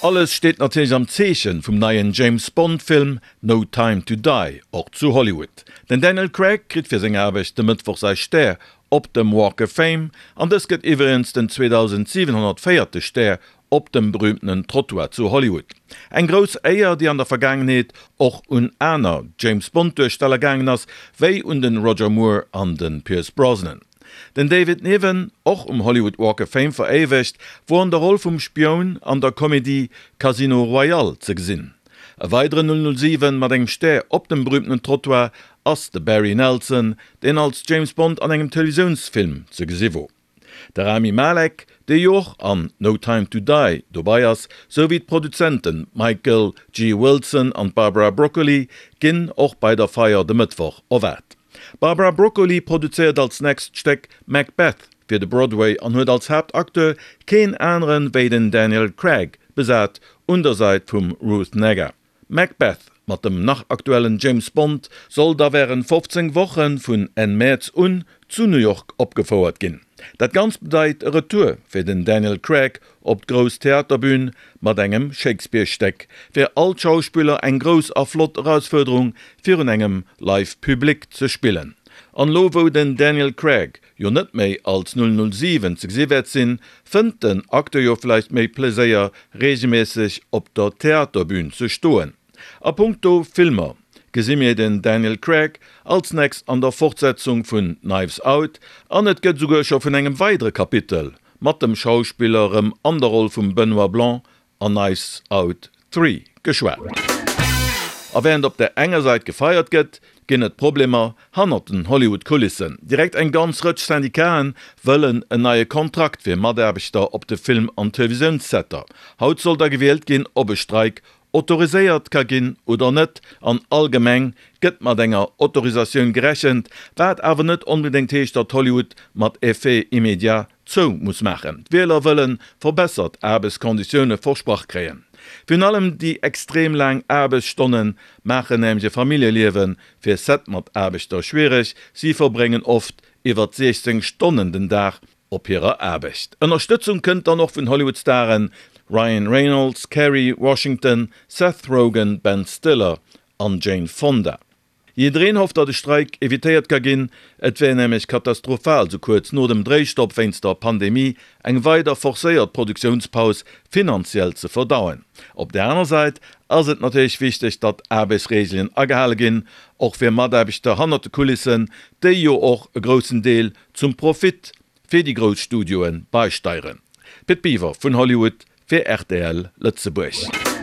Alles steet natierlech am Zeechen vum neien James Bond Film No Time To Die, och zu Hollywood. Den Daniel Craig kritt fir seng Aarbecht de Mëttwoch säi Stär op dem Walk of Fame, an dës gëtt iwwregens den 2704. Stär op dem berühmtenen Trottoir zu Hollywood. Eng grouss Éier, déi an der Vergaangenheet och un aner James Bond Duersteller gaangen ass, wéi un den Roger Moore an den Pierce Brosnan. Den David Niven, och um Hollywood Walk of Fame veréiwegt, wor an der Roll vum Spioun an der Komedie Casino Royale ze gesinn. E weideren 007 mat engem Stär op dem berühmtenen Trottoir ass de Barry Nelson, deen als James Bond an engem Televisiounsfilm ze gesi wor. De Rami Malek, dee jo och an No Time To Die dobei ass, sou wéi d'Produzenten Michael G. Wilson an d'Barbara Broccoli ginn och bei der Feier de Mëttwoch erwaart. D'Barbara Broccoli produzéiert als nächst Stéck Macbeth fir de Broadway an huet als Haaptacteur keen aneren wéi den Daniel Craig besat un der Sait vum Ruth Negga. Macbeth mat dem nach aktuellen James Bond soll da wärend 15 Woche vun Enn Mäerz un zu New York opgefouert ginn. Dat Ganzt bedeit e Retour fir den Daniel Craig op d'grouss Theaterbün mat engem Shakespeare-Stéck. Fir all d'Schauspiller eng grouss a flott Erausfuerderung, virun engem Live Public ze spillen. An elo wou den Daniel Craig jo net méi als 007 ze gesi wäert sinn, fënnt den Acteur jo vläicht méi Pleséier reegelméisseg op der Theaterbün ze stoen. A punkto Filmer gesi mir den Daniel Craig als nächst an der Fortsetzung vun Knives Out an et gëtt esouguer scho vun engem weidere Kapitel mat dem Schauspiller erëm an der Roll vum Benoit Blanc an Knives Out 3 geschwat. A wärend op der enger Säit gefeiert gëtt, ginn et Problemer hannert den Hollywood-Kulissen. Direkt eng ganz Rëtsch Syndicaten wëllen en neie Kontrakt fir Mataarbechter op de Film an Televisiounssetter. Haut soll da gewielt ginn, ob e Streik autoriséiert ka ginn oder net. An allgemeng gëtt mat enger Autorisatioun gerechent, wat awer net onbedéngt heescht, datt Hollywood mat Effet immédiat zou muss maachen. D'Wieler wëlle verbessert Aarbechtskonditioune versprach kréien. Virun allem déi extrem laang Aarbechtsstonne maachen nämlech e Familljeliewe fir Set-Mataarbechter schwiereg. Si verbréngen oft iwwer 16 Stonnen den Dag op hirer Aarbecht. Ënnerstëtzung kënnt dann och vun Hollywood-Staren Ryan Reynolds, Kerry Washington, Seth Rogen, Ben Stiller an Jane Fonda. Jiddereen hofft, datt e Streik evitéiert ka ginn. Et wär nämlech katastrophal, sou kuerz no dem Dréistopp wéinst der Pandemie eng weider forcéiert Produktiounspaus finanziell ze verdauen. Op där aner Säit ass et natierlech wichteg, datt Aarbechtsreegelen agehale ginn, och fir Mataarbechter hannert de Kulissen, déi jo och e groussen Deel zum Profit fir déi grouss Studioe beisteieren. Pit Biwer vun Hollywood fir rtl Lëtzebuerg.